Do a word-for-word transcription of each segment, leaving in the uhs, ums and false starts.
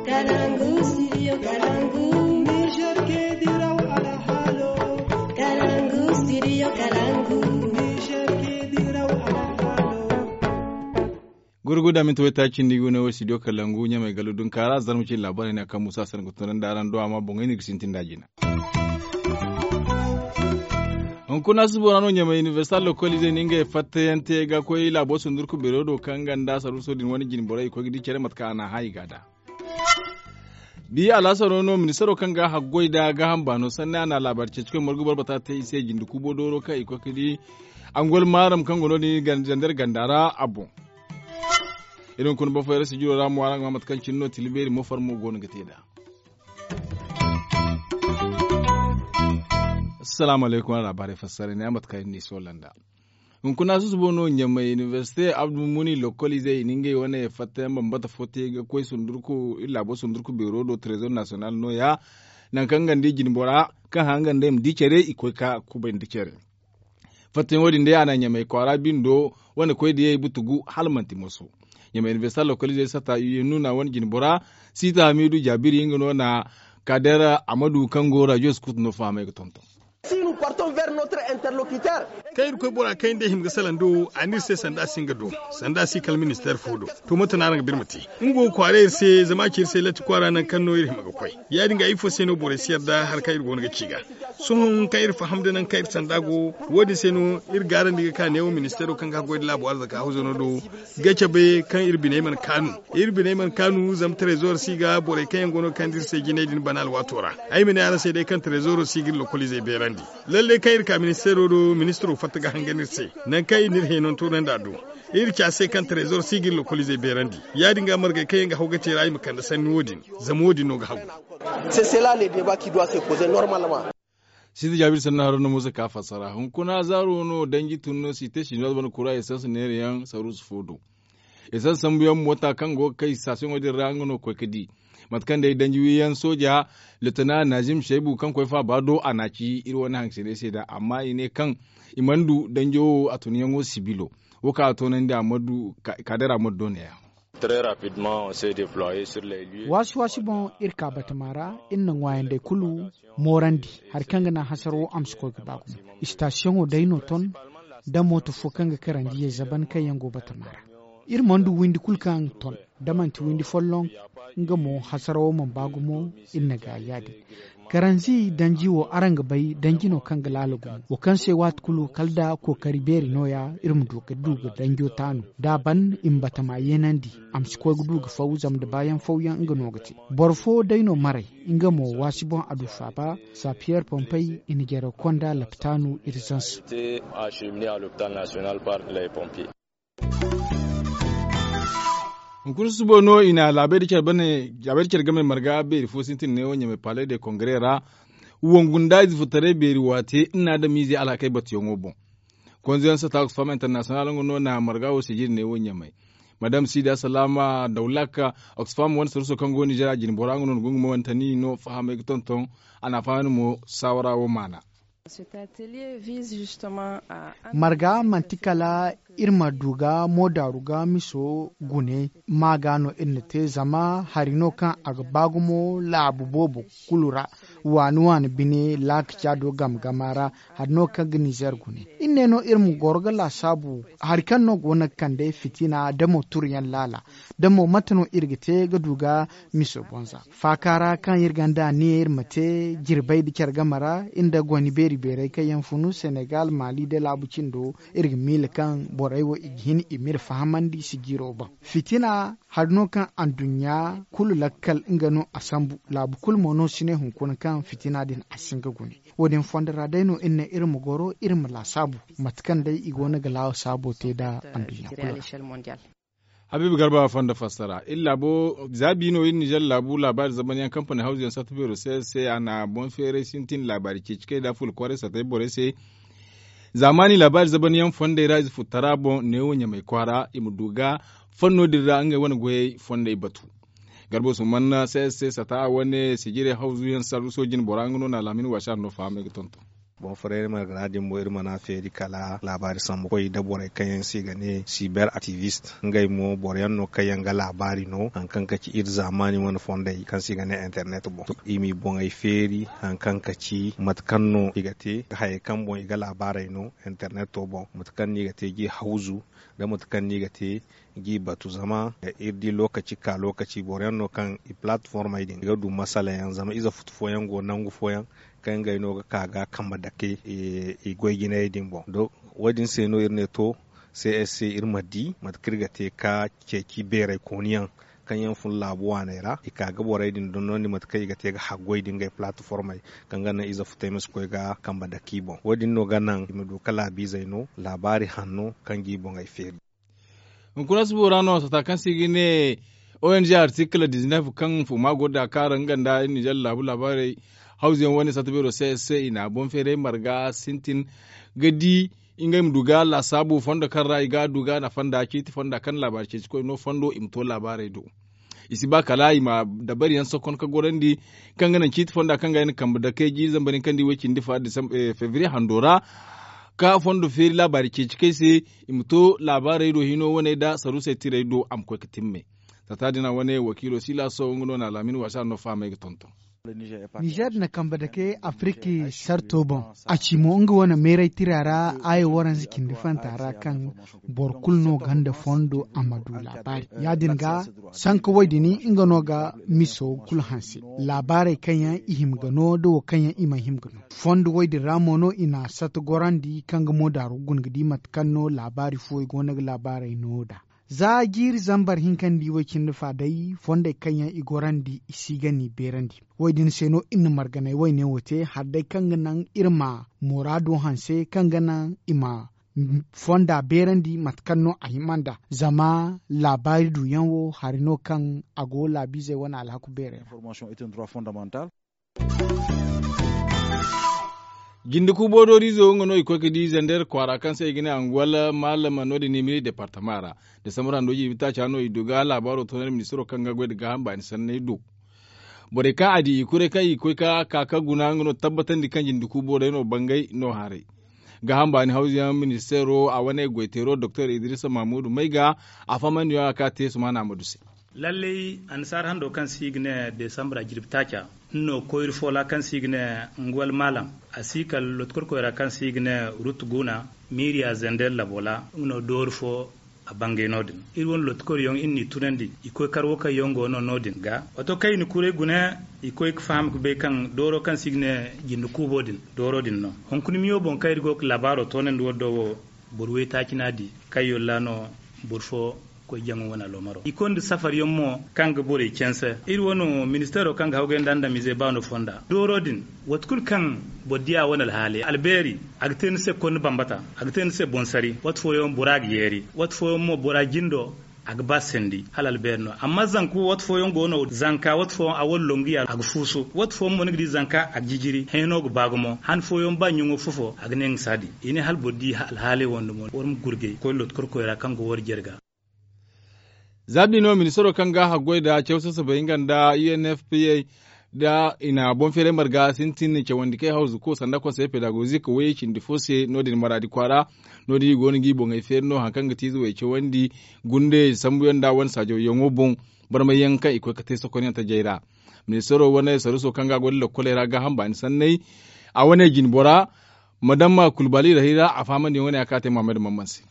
Kalangu, studio Kalangu. Niger ke diraw alhalo. Kalangu, studio Kalangu. Niger ke diraw alhalo. Gurguda minti wayta cindi gune wo studio Kalangu ɲamay galu dunkaara zarma cindi labarai ne kaŋ musa sanda ga tunandi araŋ do amma boŋey no i ga sintin da jina. Hunkuna subo ra no ɲamay inibersita lokolize no ngey fattayaŋ te ga koy laabo sundurku beero do kaŋ ganda saruuso din wane jine borey i koy ga di care mate kaŋ a n'a hã i ga a da. Bi alaasaro no ministaro kaŋ ga haggoy da gaaham baano sanni a na laabaari ceeci koy margu boro bata te i se jinde kuubo dooro kaŋ i koy ga di angol maaram kaŋ go no- din zandar ganda ra a boŋ. Iri hunkuna boro fooyaŋ ra sijiro ra mo araŋ ga ma mate kaŋ cine no tila beeri mo farmo go no ga te nd'a. Asalaamu alaykum araŋ laabaarey fassara ne a mate kaŋ iri n'i soola nd'a. Hunkuna susubo no ɲamay inibersite abdulmuni lokoliizey i na ngey wane fattayaŋ bambata fo te ga koy sundurku iri laabo sundurku beero do trezor nasiyonal nooya. Nangu kaŋ nga nda i jine bora kaŋ haŋ nga nda i ma di care i koy ga kubay nda care. Fattayaŋo din day a na ɲamay kwaara bindo wane koy diyey butugu hala manti moso. Ɲamay inibersita lokoliizey sata u ye nuuna wane jine bora siita hamiidu jaabiri nga no na kader amadu kaŋ go rajo skutu no fahamay ga tonton. Kaŋ iri koy bora kaŋ iri day hima ga salaŋ do a ne iri se sanda a si nga do sanda a si kala ministeer fo do. To mate no araŋ ga ba iri ma te? Nga go ga kwaara iri se zama a ci iri se latti kwaara nangu kaŋ no iri hima ga koy. Ya- din ga ifo se no borey si yarda hari kaŋ iri go no ga ci ga? Sohõ kaŋ iri faham da nangu kaŋ iri sanda go wo- din se no iri gaarandi ga ka neewo ministeero kaŋ ga haggoy nda laabo arzaka hawzano do ga cabe kaŋ iri biney mana kaanu. Iri biney mana kaanu zama trezor si ga borey kaŋ yaŋ go no ga kande iri se jinay din bana alwaato ra. Ay ma ne araŋ se day kaŋ trezoro si ga iri lokoliizey beerandi. Lallay kaŋ iri ka ministeero do ministiro fatta ga hangan iri se nangu kaŋ iri na iri heenanto naŋ nd'a do. Iri ci a se kaŋ trezor si ga iri lokoliizey beerandi. Ya- din ga margey kaŋ yaŋ ga haw ga te ra i ma kande sanni wo- din. Zama wo- din no ga hagu. Sisita jaabir sannu haro no musa ka fassara hunkuna zaaro no danji tun no si te sinduwa bana kura esans neera yaŋ saruusu fo do. Esans sambu yaŋ moota kaŋ go ga kay sitasiyoŋo din ra nga no ga koy ga di mate kaŋ day danji wiyaŋ sooja lotona nazim shaybu kaŋ koy faaba do a n'a ci iri wane hangasiney se nd'a amma i ne kaŋ i mana du danjo wo a tunyaŋo sibilo. Wo kaŋ a toonandi a mana du kaadara mana du neeya. Waasi waasi boŋ iri ka batama ra iri na ŋwaayandey kulu moorandi hari kaŋ ga naŋ hasarawo a ma si koy ga ba gumo. Istasiyoŋo day no ton da mooto fo kaŋ ga karandiyey zaban kaŋ yaŋ go batama ra. Iri mana du windi kulu kaŋ ton da manti windi folloŋ. Nga mo hasarawo mana ba gumo. Iri na gaayi ya- din karanzi danji wo araŋ ga bay danji no kaŋ ga laala gumo wo kaŋ se waati kulu kala da kookari beeri nooya iri ma du ga du ga danjo taanu da a ban i ma batama yeenandi. A ma si koy ga du ga faw zama da baayaŋ fawyaŋ nga no ga te. Boro fo day no maray nga mo waasi boŋ a du faaba. Sapiyer pompey i na jare konda lapitaanu irzans. Hunkuna susubo no i na laabey da care game marga beeri fo sintin neewo ɲamay palais de kongre ra. Wangu nda ize furtaray beeri waate nna adamize alhakey batuyaŋo boŋ. Konzoyaŋ sata oxfam international nga no na marga wo sijiri neewo ɲamay. Madam sida salama dawlak oxfam wane saruuso kaŋ go nizer a jine bora nga no na gungumo wane tani no fahamay ga tonton. A na a fahamay no mo saawara wo maana. Marga manti kala iri ma du ga moodaaru ga miso gune. Ma ga no iri na te zama hari no kaŋ a ga ba gumo laabu boobo kulu ra. Waani waani bine laaka caado game gama ra. Hari no kaŋ ga nizer gune iri ne no iri ma goro ga laasaabu hari kaŋ no go no ga kande fitina da mo turuyaŋ laala. Da mo mate no iri ga te ga du ga miso bonza faaka ra kaŋ iri gonda aniya iri ma te jirbey da care game ra. Iri nda goni beeri beerey kaŋ yaŋ funu senegal maali da laabu cindo iri ga miila kaŋ borey wo i ga hin i m'iri fahamandi sijiro boŋ. Fitina hari no kaŋ anduɲɲa kulu lakkal nga no a sambu. Laabu kulu mo no si ne hunkuna kaŋ fitina din a si nga gune. Wo- din fondo ra day no iri ne iri ma goro iri ma laasaabu mate kaŋ day i go no ga laasaabo te nda anduɲɲa kulu ra. Habiibu garba fondo fassara iri laabo za bi no iri nizer laabu laabaari zamanyaŋ kampani hawzuyaŋ sarta beero se se a na boŋ feeray sintin laabaari ceeci kay nda fuula kwaaray sartay borey se. Zaamaani laabaari zamanyaŋ fondey ra ize futtara boŋ neewo ɲamay kwaara i ma du ga fanno din ra ngey wane goyey fondey batu. Garba usman se se sata wane sijirey hawzuyaŋ sarruso jine bora nga no na alhamin waasi a ra no fahamay ga tonton. Boŋ farayra margara din mo iri mana feeri kala laabaari sambu koy da borey kaŋ yaŋ se i ga ne siber aktivist. Ngey mo boro yaŋ no kaŋ yaŋ ga laabaari no hari kaŋ ka ci iri zaamaani wane fondey kaŋ se i ga ne internet boŋ. I m'i boŋey feeri hari kaŋ ka ci mate kaŋ no i ga te hayey kaŋ boŋ i ga laabaarey no interneto boŋ, mate kaŋ no i ga te g'i hawzu, da mate kaŋ no i ga te g'i batu. Zama iri di lookaci ka lookaci boro yaŋ no kaŋ i palatformey din i ga du masala yaŋ zama ize futu fooyaŋ go nangu fooyaŋ kaŋ ngey no ga ka ga kambe dake i goy jinayey din boŋ. Wo- din se no iri ne to, c s c iri ma di mate kaŋ iri ga te ka ceeci beerey kooni yaŋ kaŋ yaŋ fun laabu waaney ra i ka ga borey din dondonandi mate kaŋ i ga te ga haggoy da ngey palatformey kaŋ ga naŋ ize futey ma si koy ga kambe dake i boŋ. Wo- din no ga naŋ i ma du ga laabiizey no laabaari hanno kaŋ g'i boŋey feeri. Hunkuna subo ra no sata kaŋ se i ga ne o n g artikil dizinef kaŋ fuma go da kaara nga nda nizer laabu laabaarey hawzu yaŋ wane sata beero se se i na boŋ feeray marga sintin ga di ngey ma du ga laasaabu fondo kaŋ ra i ga du ga nafa nda ciiti fonda kaŋ laabaari ceeci koy no fondo i ma to laabaarey do. I si ba kala i ma dabari yaŋ sokon ka gorandi kaŋ ga naŋ ciiti fonda kaŋ ga yaŋ kambe dakey jiiri zamba din kaŋ di way cindi fa febriye hando ra ka fondo feeri laabaari ceeci kay se i ma to laabaarey do hino wane nda saruusey tirey do a ma koy ga timme. Sata din a wane wakiilo silaso nga no na laamin wasa no fahamey ga tonton. Nizer na kambe dake afiriki sarto boŋ a ci mo nga wane meeray tira ra aayo waranza cindi fanta ra kaŋ boro kulu no ganda fondo a ma du laabaari ya- din ga sanka way din nga no ga miso kulu hanse laabaarey kaŋ yaŋ i hima ga no da wo kaŋ yaŋ i mana hima ga no fondo way din ra mo no i na sata gorandi kaŋ ga mo daaru ga guna ga di mate kaŋ no laabaari fo i go no ga laabaarey no nd'a. Za jiiri zambar hinka nda i way cindi fa day fondey kaŋ yaŋ i gorandi i si ga n'i beerandi. Wo- din se no iri na marganay wayne wo te hala day kaŋ ga naŋ iri ma muraado hanse kaŋ ga naŋ i ma fonda beerandi mate kaŋ no a hima nd'a zama laabaari duyaŋ wo hari no kaŋ a go laabiizey wane alhaku beerey ra. Jinde kuubo dooriizo nga no i koy ga di zander kwaara kaŋ se i ga ne anguwal maalama no- din nimiri departama ra. Desambar hando jiibi taaca no i du ga laabaaro toonandi ministiro kaŋ ga goy nda gaaham baani sanney do. Borey kaŋ a di i kuray kaŋ i koy ka ka ka guna nga no tabbatandi kaŋ jinde kuubo day no bangay no haray. Gaaham baani hawzu yaŋ ministeero a wane goyteero doktor idrisa mahmudu may ga a fahamandi yaŋ a ka te sumaana ma du se. Lallay annasaara hando kaŋ se i ga ne desambra jirbi taaca nga no koyri fo ra kaŋ se i ga ne, ngwal maalam a si kala lotikorkoy ra kaŋ se i ga ne, rut guuna miiriya zender labo ra nga no doori fo. A bangay no- din iri wane lotikoryaŋ iri n'i tunandi i koy kar wo kaŋ yaŋ go no no- din ga. Waato kaŋ i na kuray guna i koy ga faham ga bay kaŋ dooro kaŋ se i ga ne jinde kuubo din dooro din no. Hunkuna miyo boŋ kaŋ iri go ga laabaaro toonandi wo- do wo boro waytaaci no a di kaŋ yolla no boro fo koy jaŋo wane aloomaro i konda safar yaŋ mo kaŋ ga borey canse. Iri wane ministeero kaŋ ga hawgay nda andamize baano fonda dooro din waati kulu kaŋ boro diya wane alhaaley albeeri a ga te ni se konni bambata a ga te ni se boŋ sari waati fooyaŋ bora ga yeeri waati fooyaŋ mo bora jindo a ga ba sandi hala albeeri no amma zanka waati fooyaŋ go no zanka waati fooyaŋ a wala longu ya a ga fuusu waati fooyaŋ mo ni ga di zanka a ga jijiri hayno ga ba gumo han fooyaŋ ba ɲaŋo fofo a ga ne nga si a di i ne hala boro di alhaaley wande mo war ma gurgay koy lotikorkoy ra kaŋ go war jere ga. Za bino ministaro kaŋ ga haggoy nda caw sasabay nga nda unfpa da i na boŋ feeray marga sintin cawandi kay hawzu ko sanda konsey pedagozik wayey cindi fo se no- din maraadi kwaara. No- din i go no ga i boŋey feeri no hari kaŋ ga ti ize way cawandi gundey sambuyaŋ nda wane saajawyaŋo boŋ barmayyaŋ kaŋ i koy ga te sokonyaŋ tajey ra. Ministaro wane saruuso kaŋ ga a goy nda lokkoley ra gaaham baani sanney a wane jine bora madamma kulbali rahira a fahamandiyaŋ wane ya kaŋ a te muhammad mamman se.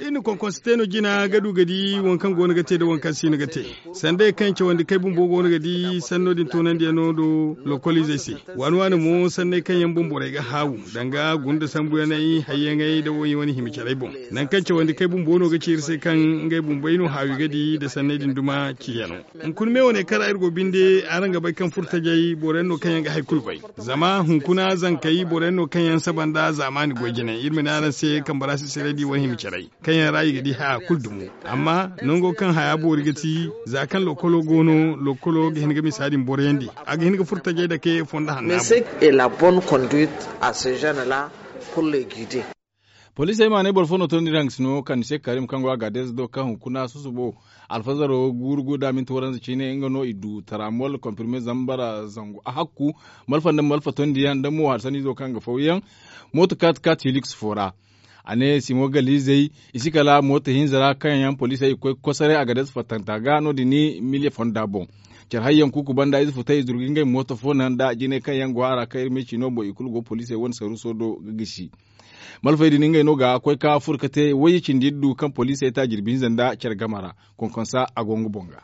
Iri na konkonsi te no jina ga du ga di waŋ kaŋ go no ga te nda waŋ kaŋ si no ga te. Sandey kaŋ cawandi kay bumbo go no ga di sanno din toonandiyaŋo do lokoliizey se. Waani waani mo sanney kaŋ yaŋ boŋ borey ga haawu danga gunda sambuyaney hayyaŋey nda woy wane hima carey boŋ. Nangu kaŋ cawandi kay bumbo no ga ci iri se kaŋ ngey bumbey no haawi ga di nda sanney din duma ciyaŋo. Hunkuna me wane kaŋ ra iri go binde araŋ ga bay kaŋ furtajey boro yaŋ no kaŋ yaŋ ga hari kulu bay. Zama hunkuna zankey boro yaŋ no kaŋ yaŋ saba nda zaamaani goy jine iri ma ne araŋ se kambe ra sisirey di wane hima carey kaŋ yaŋ ra i ga di haya kulu dumo. Amma nango kaŋ haya boori ga ti za kaŋ lokolo go no lokolo ga hin ga misa din boroyandi a ga hin ga furtajey dake fondo hanna. Poliisey ma ne boro fo no tondi iri hangasino kande se karim kaŋ go a ga deeze do kaŋ hunkuna susubo alfazaro guuru guuru da minti waranza ciine nga no i du taramol konfirme zambara zangu a hakku. Malfa nda malfa tondiyaŋ nda mo hari sanniizo kaŋ ga fawyaŋ mooto kaati kaati hiliks fo ra. A ne simo galiizey i si kala mooto hinza ra kaŋ yaŋ poliisey i ga koy ga kosaray a ga deeze fattanta ga no- din ni miliya fonda boŋ. Care hayyaŋ kuuku banda ize futay i zuru ga ngey mooto fo naŋ nda jinay kaŋ yaŋ go a ra kaŋ iri ma i ci no boŋ i kulu go poliisey wane saruuso do ga gisi. Malfey din ngey no ga koy ka furo ka te wayye cindi iri du kaŋ poliisey ta jirbi hinza nda care game ra. Konkonsa a go nga boŋ ga.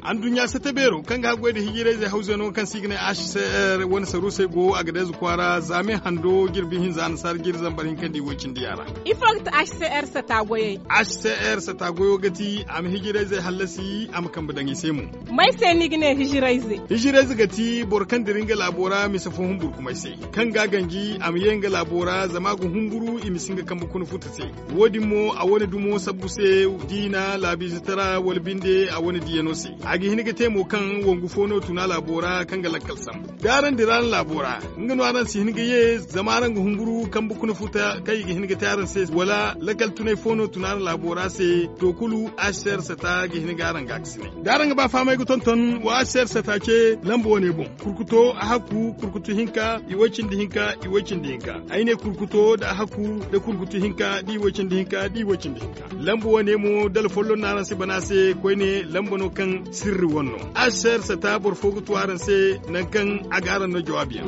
Anduɲɲa sata beero kaŋ ga haggoy nda hijirayzey hawzey no kaŋ se i ga ne h c r wane saruusey go a ga deeze kwaara zaame hando jirbi hinza annasaara jiiri zambar hinka nda i woy cindi yaŋ ra. Ifo ga ti h c r sata goyey? H c r sata goyo ga ti a ma hijirayzey hallasi a ma kambe daŋ i se mo. May se ni ga ne hijirayze? Hijirayze ga ti boro kaŋ dira nga laabo ra mise fo humburkumay se, kaŋ ga a ganji a ma ye nga laabo ra zama a ga humburu i ma si nga kambe kuna futa se. Wo- din mo a wane dumo sabbu se, diina laabiizetara wala binde a wane diiyano se. A ga hin ga te mo kaŋ wangu fo no tun a laabo ra kaŋ ga lakkal sambu da araŋ dira araŋ laabo ra, nga no araŋ si hin ga ye zama araŋ ga humburu kambe kuna futa kaŋ i ga hin ga te araŋ se wala lakkal tunay fo no tun araŋ laabo ra se. To kulu, h c r sata ga hin ga araŋ ga a ga si ne da araŋ ga ba fahamay ga tonton wa h c r sata ce lamba wane boŋ. Kurkuto a hakku kurkutu hinka i way cindi hinka i way cindi hinka. Ay ne kurkuto nda a hakku nda kurkutu hinka da i way cindi hinka da i way cindi hinka. Lamba wane mo dala folloŋ no araŋ si bana se koyne lamba no kaŋ sirri wane no. H c r sata boro fo ga tu araŋ se nangu kaŋ a ga araŋ no jawaabi yaŋ.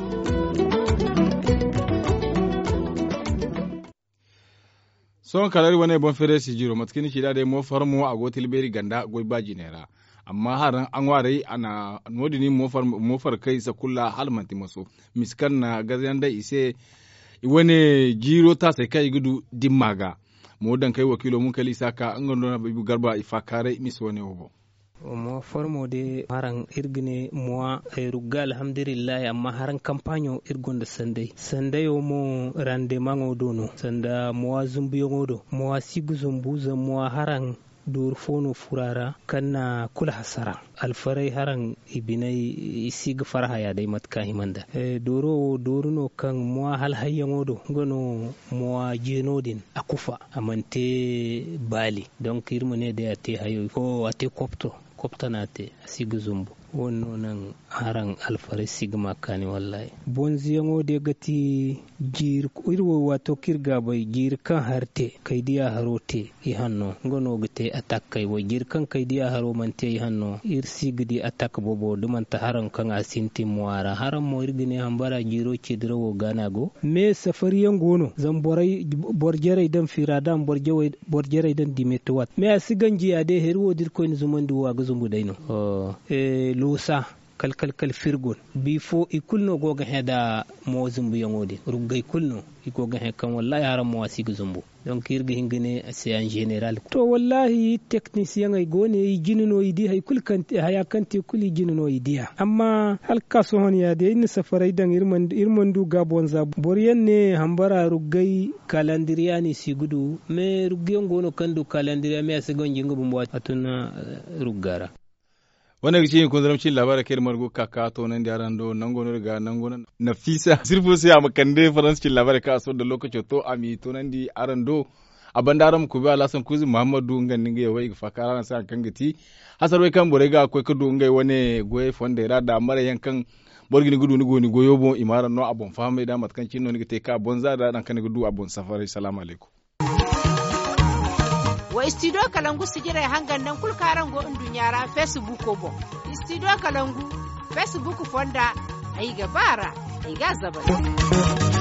Sohõ kala iri wane boŋ feere sijiro mate kaŋ ni ci nd'a day mo far mo a go ga tilbeeri ganda goy ba jinay ra. Amma haraŋ a ŋwaaray a na no- din mo far kay sakulla hala manti maso mise kaŋ na gazayaŋ day i se. I wane jiiro taasey kaŋ i ga du dimma ga. Mo daŋ kay wakiilo munkali isa ka nga no na bibi garba i faakaaray mise wane wo boŋ. Mowa formo de haraŋ iri ga ne mowa rugga alhamdulillahi amma haraŋ kampaɲo iri gonda sanday sandayo mo randemaŋo do no sanda mowa zumbuyaŋo do mowa si ga zumbu zama mowa haraŋ dooru fo no fura ra kaŋ na kulu hasara. Alfaray haraŋ i binay i si ga farhaya day mate kaŋ a hima nda dooro wo dooru no kaŋ mowa hala hayyaŋo do nga no mowa jeeno din a kufa a mana te baali. Donk iri ma ne day a te hayo a te kopto kopto no a te a si ga zumbu. Wo- din no naŋ haraŋ alfaray si ga ma kaani wallaahi. Bonzoyaŋo day ga ti jiiri iri wo waato kaŋ iri ga a bay jiiri kaŋ hari te kay diya haro te i hanno nga no ga te atak kay wo jiiri kaŋ kay diya haro mana te i hanno iri si ga di atak boobo da manti haraŋ kaŋ a sintin mo a ra haraŋ mo iri ga ne hambara jiiro ceedirawo ga no a go. Me safariyaŋ go no zama boro jarey daŋ fira da a ma boro jarey daŋ dimetuwat me a si ganji ya day hari wo da irkoy na zumandi wo a ga zumbu day no. Loosa kala kala kala firgon bifo i kulu no go ga hẽ da mo zumbuyaŋo din ruggay kulu no i go ga hẽ kaŋ wallaahi haraŋ mo a si ga zumbu. Donk iri ga hin ga ne a se en general. To wallaahi teknisiyaŋey go ne i jine no i di hari kulu kaŋ te haya kaŋ te kulu i jine no i diya amma hala ga ka sohõ ya day iri na safaray daŋ iri mana du gaabonza boro yaŋ ne hambara ruggay kalandiriya no i si ga du. Me rugguyaŋ go no kaŋ du kalandiriya me a si ganji nga bumbo a tun rugga ra. Wane ga ci hinkunzarma cin laabaarey kaŋ iri margu ga ka ka toonandi araŋ do nango no iri ga nango no nafiisa sirfo se a ma kande faransa cin laabaarey kaŋ a sorro da lookaco to a m'i toonandi araŋ do. A banda araŋ ma kuubi alhasan kuuzi muhammadu nga nda ngey wo i ga faakar araŋ se hari kaŋ ga ti hasarwey kaŋ borey ga koy ga du ngey wane goyey fondey ra da maray yaŋ kaŋ boro ga ni ga du ni go ni goyo boŋ i ma araŋ no a boŋ fahamay da mate kaŋ cine no ni ga te ka bonza da nangu kaŋ ni ga du a boŋ safaray salaamu alaykum. Wa istidiyo kalangu sijirey hangan nangu kulu kaŋ araŋ go nduɲɲa ra feesibuuko boŋ. Istidiyo kalangu feesibuuku fonda ay ga ba a ra ay ga a zabari.